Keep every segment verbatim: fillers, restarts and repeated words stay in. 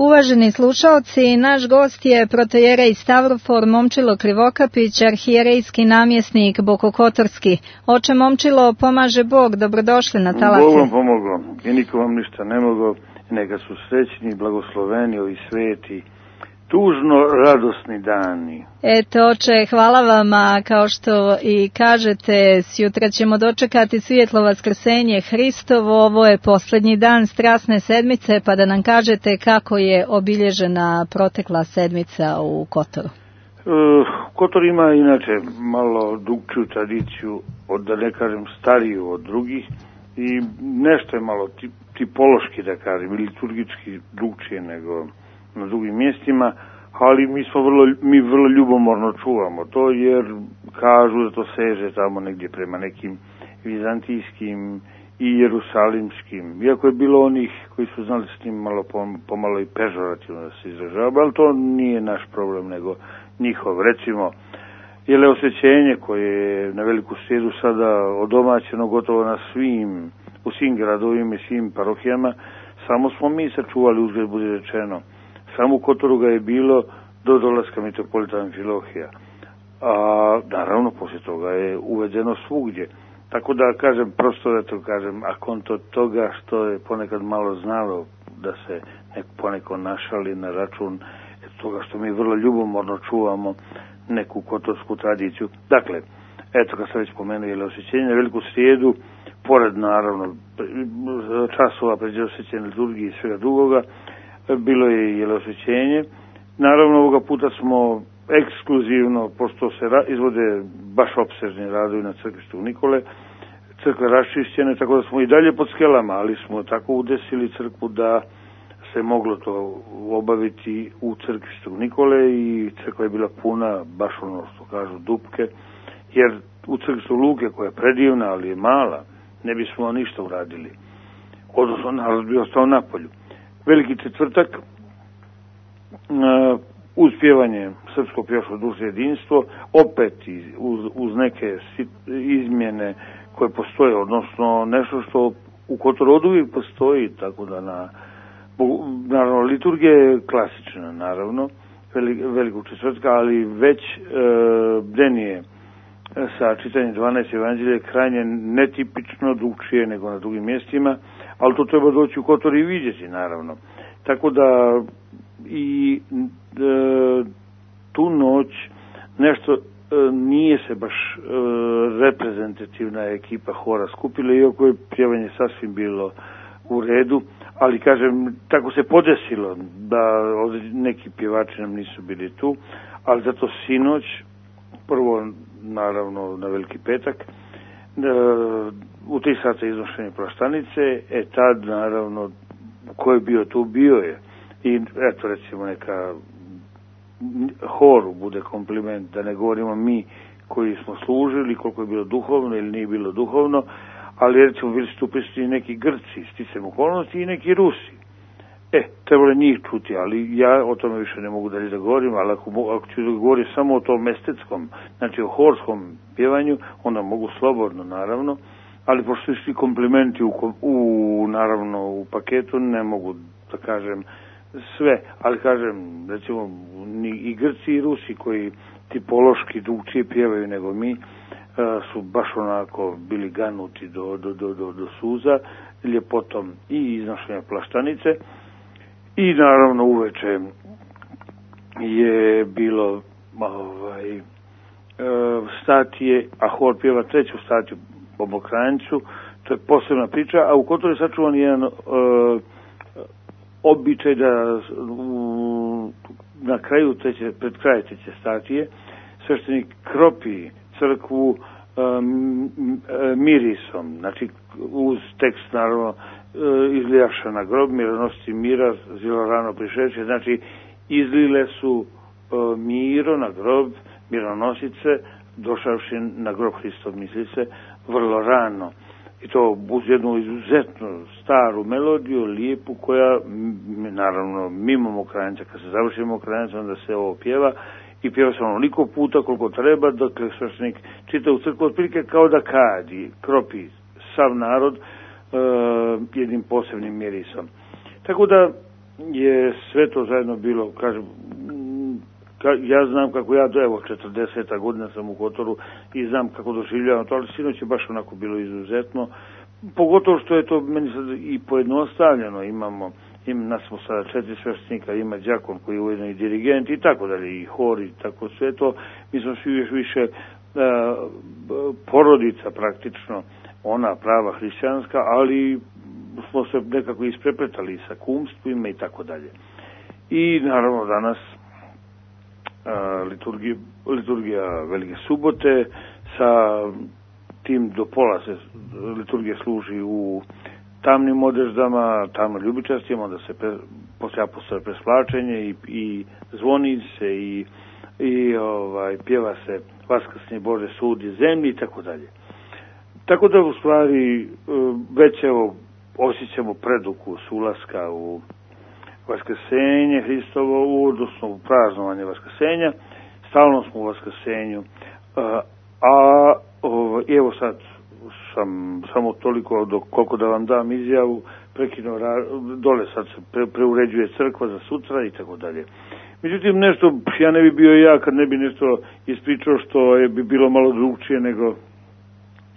Uvaženi slušaoci, naš gost je protojerej Stavrofor Momčilo Krivokapić, arhijerejski namjesnik Bokokotorski. Oče Momčilo, pomaže Bog, dobrodošli na talase. Bog vam pomogao i niko vam ništa ne mogao, neka su srećni, blagosloveni ovi sveti, tužno radosni dani. Eto, oče, hvala vama, kao što i kažete, sjutra ćemo dočekati svjetlo vaskrsenje Hristovo, ovo je posljednji dan strasne sedmice, pa da nam kažete kako je obilježena protekla sedmica u Kotoru. Uh, Kotor ima inače malo drugčiju tradiciju, od, da ne kažem stariju od drugih, i nešto je malo tip, tipološki, da kažem, ili liturgički drugčije nego na drugim mjestima, ali mi smo vrlo, mi vrlo ljubomorno čuvamo to, jer kažu da to seže tamo negdje prema nekim vizantijskim i jerusalimskim, iako je bilo onih koji su znali s tim malo pomalo i pežorativno da se izražava, ali to nije naš problem, nego njihov. Recimo, jeleosvećenje koje je na Veliku srijedu sada odomaćeno gotovo na svim, u svim gradovima i svim parohijama, samo smo mi sačuvali, uzgled bude rečeno. Samo u Kotoru ga je bilo do dolaska mitropolita Amfilohija. A naravno, poslije toga je uvedeno svugdje. Tako da kažem, prosto da to kažem, a konto toga što je ponekad malo znalo da se nek poneko našali na račun toga što mi vrlo ljubomorno čuvamo neku kotorsku tradiciju. Dakle, eto, kad sam već spomenuo jeleosvećenje na Veliku srijedu, pored naravno časova pređeosvećenja liturgije i svega drugoga, bilo je jeleosvećenje. Naravno, ovoga puta smo ekskluzivno, pošto se ra- izvode baš opsežni radovi na crkvi Svetog Nikole, crkve raščišćene, tako da smo i dalje pod skelama, ali smo tako udesili crkvu da se moglo to obaviti u crkvi Svetog Nikole i crkva je bila puna, baš ono što kažu dupke, jer u crkvi Svetog Luke, koja je predivna, ali je mala, ne bismo ništa uradili. Odnosno, narod bi ostao na polju. Veliki četvrtak, uh, uz pjevanje srpskog pjevačkog društva jedinstvo, opet uz, uz neke izmjene koje postoje, odnosno nešto što u Kotoru oduvijek postoji, tako da na, naravno, liturgija je klasična, naravno, velikog četvrtka, ali već uh, bdenije sa čitanjem dvanaest evanđelja je krajnje netipično drugčije nego na drugim mjestima, ali to treba doći u Kotor i vidjeti, naravno. Tako da i e, tu noć nešto e, nije se baš e, reprezentativna ekipa hora skupila, iako je pjevanje sasvim bilo u redu, ali kažem, tako se podesilo da neki pjevači nam nisu bili tu, ali zato sinoć, prvo naravno na Veliki petak, e, u tri sata iznošenje plaštanice, e tad naravno ko je bio tu, bio je. I eto, recimo, neka horu bude kompliment, da ne govorimo mi koji smo služili, koliko je bilo duhovno ili nije bilo duhovno, ali recimo bili su tu prisutni neki Grci, sticam okolnosti, i neki Rusi. E, trebalo njih čuti, ali ja o tome više ne mogu dalje da govorim, ali ako, ako ću da govorim samo o tom estetskom, znači o horskom pjevanju, onda mogu slobodno, naravno, ali pošto su svi komplimenti u, u, naravno, u paketu, ne mogu da kažem sve, ali kažem, recimo, i Grci i Rusi koji tipološki drugčije pjevaju nego mi, su baš onako bili ganuti do, do, do, do, do suza, ljepotom i iznošenja plaštanice. I naravno uveče je bilo ovaj, statije, a hor pjeva treću statiju po Mokranjcu, to je posebna priča, a u Kotoru je sačuvan jedan uh, običaj da uh, na kraju treće, pred kraj treće statije sveštenik kropi crkvu um, mirisom, znači uz tekst naravno izlijaša na grob, mironosci mira, zilo rano prišeće, znači izlile su uh, miro na grob, mironosice, došavši na grob Hristov, misli se, vrlo rano. I to uz jednu izuzetno staru melodiju, lijepu, koja, naravno, mimo Mokranjca, kad se završi Mokranjca, onda se ovo pjeva, i pjeva se onoliko puta koliko treba, dok sveštenik čita u crkvu, otprilike kao da kadi, kropi sav narod, Uh, jednim posebnim mirisom. Tako da je sve to zajedno bilo, kažem, ka, ja znam kako ja, evo, četrdeseta godina sam u Kotoru i znam kako doživljavam to, ali sinoć je baš onako bilo izuzetno, pogotovo što je to meni sad i pojednostavljeno, imamo, im, nas smo sada četiri sveštenika, ima đakon koji je ujedno i dirigent i tako dalje, i hor i tako sve to, mi smo svi još više a, porodica praktično, ona prava hrišćanska, ali smo se nekako isprepletali sa kumstvima i tako dalje. I naravno danas a, liturgija, liturgija Velike subote, sa tim do pola se liturgija služi u tamnim odeždama, tamno ljubičastima, onda se pre, poslije apostolove presplačenje i, i zvoni se i, i ovaj, pjeva se Vaskrsni Bože sudi zemlji i tako dalje. Tako da u stvari već evo osjećamo predukus ulaska u Vaskrsenje Hristovo, odnosno u praznovanje Vaskrsenja, stalno smo u Vaskrsenju, a, a o, evo sad sam samo toliko dok koliko da vam dam izjavu, prekinuo dole sad se pre, preuređuje crkva za sutra i tako dalje. Međutim, nešto, ja ne bi bio ja kad ne bi nešto ispričao što je bi bilo malo drugčije nego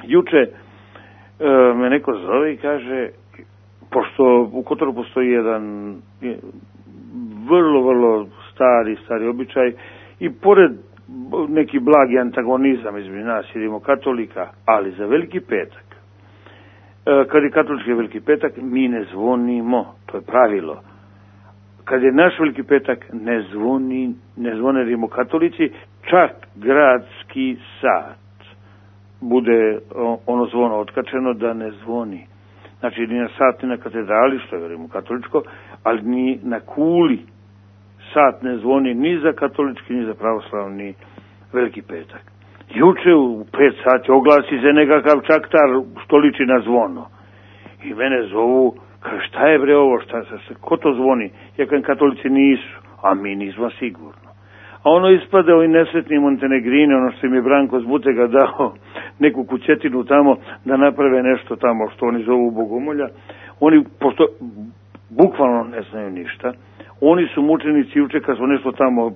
juče e, me neko zove i kaže, pošto u Kotoru postoji jedan je, vrlo, vrlo stari, stari običaj i pored neki blagi antagonizam između nas idemo katolika, ali za Veliki petak, e, kad je katolički Veliki petak, mi ne zvonimo, to je pravilo. Kad je naš Veliki petak, ne zvoni, ne zvone rimokatolici, čak gradski sat bude ono zvono otkačeno da ne zvoni. Znači, ni na sat, ni na katedrali, što je rimokatoličko, ali ni na kuli sat ne zvoni ni za katolički, ni za pravoslavni Veliki petak. Juče u pet sati oglasi se nekakav čaktar što liči na zvono. I mene zovu, kaže, šta je bre ovo, šta, šta, ko to zvoni? Ja kažem, katolici nisu, a mi nismo sigurno. A ono ispada ovi nesretni Montenegrini, ono što im je Branko z Butega dao neku kućetinu tamo da naprave nešto tamo što oni zovu bogomolja. Oni, pošto bukvalno ne znaju ništa, oni su mučenici juče kad su nešto tamo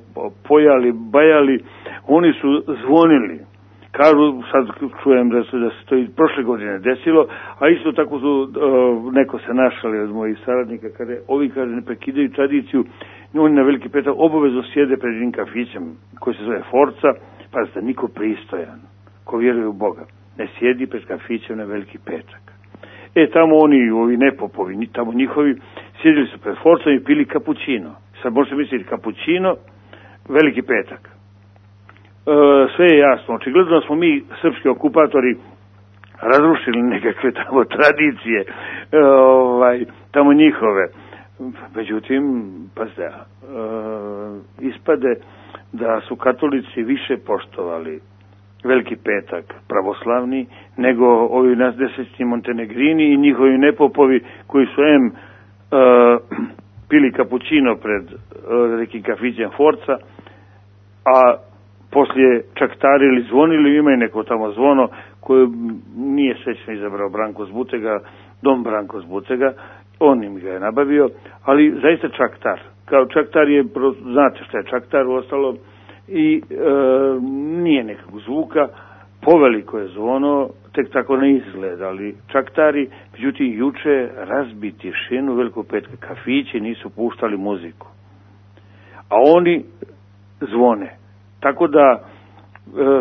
pojali, bajali, oni su zvonili. Kažu, sad čujem da se, da se to i prošle godine desilo, a isto tako su, uh, neko se našali od mojih saradnika, kada ovi, kaže, ne prekidaju tradiciju, oni na Veliki petak obavezno sjede pred jednim kafićem koji se zove Forca, pa da niko pristojan, ko vjeruje u Boga, ne sjedi pred kafićem na Veliki petak. E, tamo oni, ovi nepopovi, tamo njihovi, sjedili su pred Forcom i pili kapućino. Sad možete misliti, kapućino, Veliki petak. E, sve je jasno. Očigledno smo mi, srpski okupatori, razrušili nekakve tamo tradicije, e, ovaj, tamo njihove. Međutim, pazite, e, ispade da su katolici više poštovali Veliki petak pravoslavni nego ovi nesretni Montenegrini i njihovi nepopovi koji su em e, pili kapućino pred e, nekim kafićem Forca, a poslije čaktarili, zvonili, ima i neko tamo zvono koje nije srećno izabrao Branko z Butega, dom Branko z Butega, on im ga je nabavio, ali zaista čaktar. Kao čaktar je, znate šta je čaktar, ostalo, i e, nije nekog zvuka, poveliko je zvono, tek tako ne izgleda, ali čaktari, međutim, juče razbi tišinu Velikog petka, kafići nisu puštali muziku, a oni zvone. Tako da e,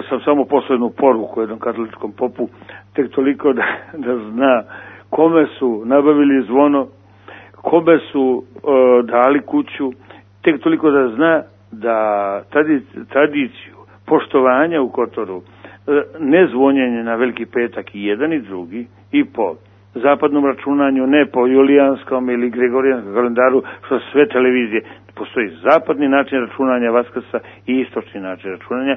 sam samo poslednu poruku jednom katoličkom popu, tek toliko da, da zna kome su nabavili zvono, kome su e, dali kuću, tek toliko da zna da tradiciju poštovanja u Kotoru, ne zvonjenje na Veliki petak i jedan i drugi, i po zapadnom računanju, ne po julijanskom ili gregorijanskom kalendaru, što sve televizije, postoji zapadni način računanja Vaskrsa i istočni način računanja.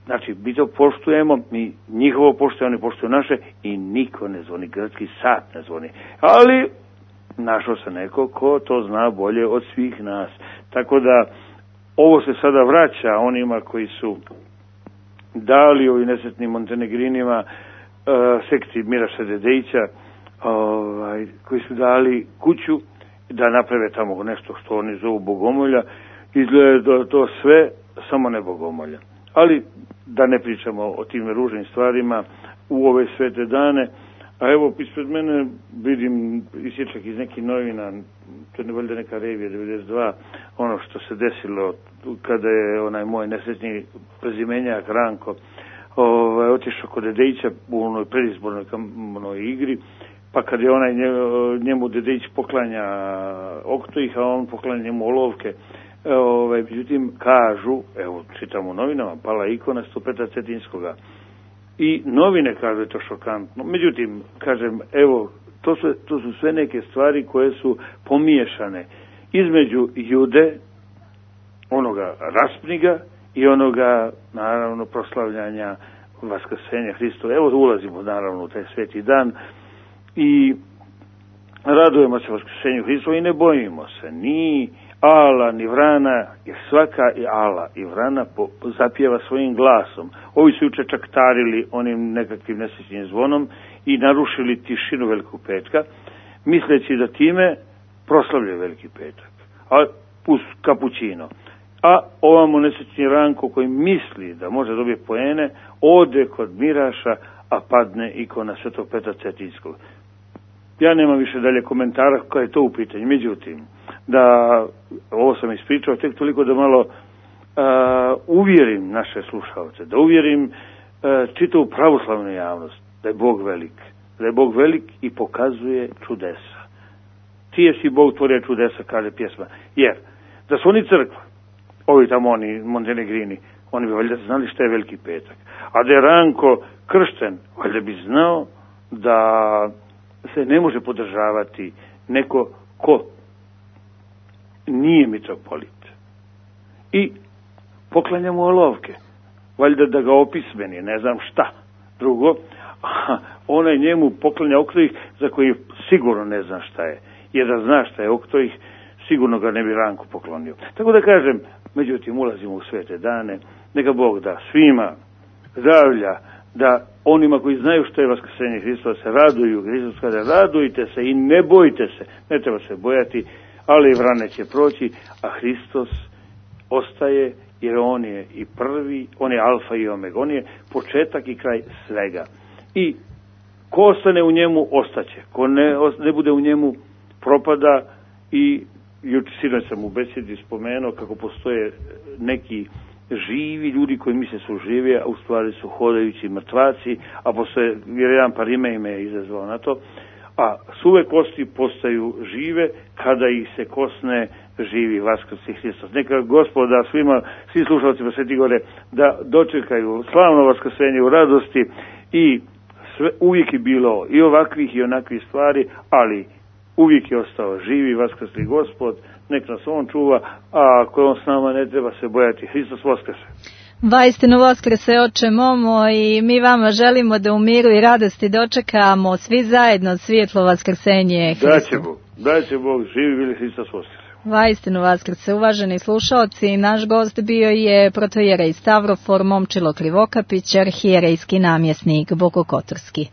Znači, mi to poštujemo, mi njihovo poštujemo, oni poštuju naše i niko ne zvoni, gradski sat ne zvoni. Ali našao se neko ko to zna bolje od svih nas. Tako da ovo se sada vraća onima koji su dali ovim nesretnim Montenegrinima, uh, sekciji Miraša Dedejića, ovaj, koji su dali kuću da naprave tamo nešto što oni zovu bogomolja, izgleda da to sve samo ne bogomolja. Ali da ne pričamo o tim ružnim stvarima u ove svete dane, a evo ispred mene vidim isječak iz nekih novina, to je valjda neka revija devedeset dva, ono što se desilo kada je onaj moj nesretni prezimenjak Ranko ovaj, otišao kod Dedejića u onoj predizbornoj onoj igri, pa kad je onaj njemu Dedejić poklanja oktojih, a on poklanja njemu olovke. Ovaj, međutim, kažu, evo čitam u novinama, pala ikona sto Petra Cetinskoga. I novine kažu je to šokantno. Međutim, kažem, evo, to su, to su sve neke stvari koje su pomiješane između Jude, onoga raspniga i onoga, naravno, proslavljanja vaskrsenja Hristova. Evo, ulazimo, naravno, u taj sveti dan i radujemo se vaskrsenju Hristova i ne bojimo se ni ala, ni vrana, jer svaka i ala i vrana po, zapjeva svojim glasom. Ovi su juče čaktarili onim nekakvim nesrećnim zvonom i narušili tišinu Velikog petka, misleći da time proslavljaju Veliki petak, a uz kapućino. A ovamo nesrećni Ranko koji misli da može dobiti poene, ode kod Miraša, a padne ikona Svetog Petra Cetinskog. Ja nemam više dalje komentara koja je to u pitanju. Međutim, da ovo sam ispričao tek toliko da malo uh, uvjerim naše slušalce, da uvjerim uh, čitavu pravoslavnu javnost da je Bog velik, da je Bog velik i pokazuje čudesa. Ti je si Bog tvorio čudesa, kaže pjesma. Jer da su oni crkva, ovi tamo oni Montenegrini, oni bi valjda znali šta je Veliki petak. A da je Ranko kršten, valjda bi znao da se ne može podržavati neko ko nije mitropolit. I poklanja mu olovke. Valjda da ga opismeni, ne znam šta. Drugo, onaj njemu poklanja oktojih za koji sigurno ne zna šta je. Jer da zna šta je oktojih, sigurno ga ne bi Ranko poklonio. Tako da kažem, međutim, ulazimo u svete dane, neka Bog da svima zdravlja, da onima koji znaju što je vaskrsenje Hristova se raduju. Hristos kaže, radujte se i ne bojte se. Ne treba se bojati, ali i vrane će proći, a Hristos ostaje, jer on je i prvi, on je alfa i omega, on je početak i kraj svega. I ko ostane u njemu, ostaće. Ko ne, ne bude u njemu, propada. I juče sinoć sam u besedi spomenuo kako postoje neki živi ljudi koji misle su živi, a u stvari su hodajući mrtvaci, a postoje, jer jedan par ime ime je izazvao na to, a suve kosti postaju žive kada ih se kosne živi vaskrsi Hristos. Neka Gospoda svima, svi slušalcima Sveti Gore, da dočekaju slavno vaskrsenje u radosti i sve, uvijek je bilo i ovakvih i onakvih stvari, ali uvijek je ostao živi vaskrsli Gospod, nek nas on čuva, a ako on s nama ne treba se bojati. Hristos vaskrse. Vaistinu vaskrse, oče momo, i mi vama želimo da u miru i radosti dočekamo svi zajedno svjetlo vaskrsenje Hristova. Daće Bog, daće Bog, živi bili Hristos vaskrse. Vaistinu vaskrse, uvaženi slušalci, naš gost bio je protojerej Stavrofor Momčilo Krivokapić, arhijerejski namjesnik Bokokotorski.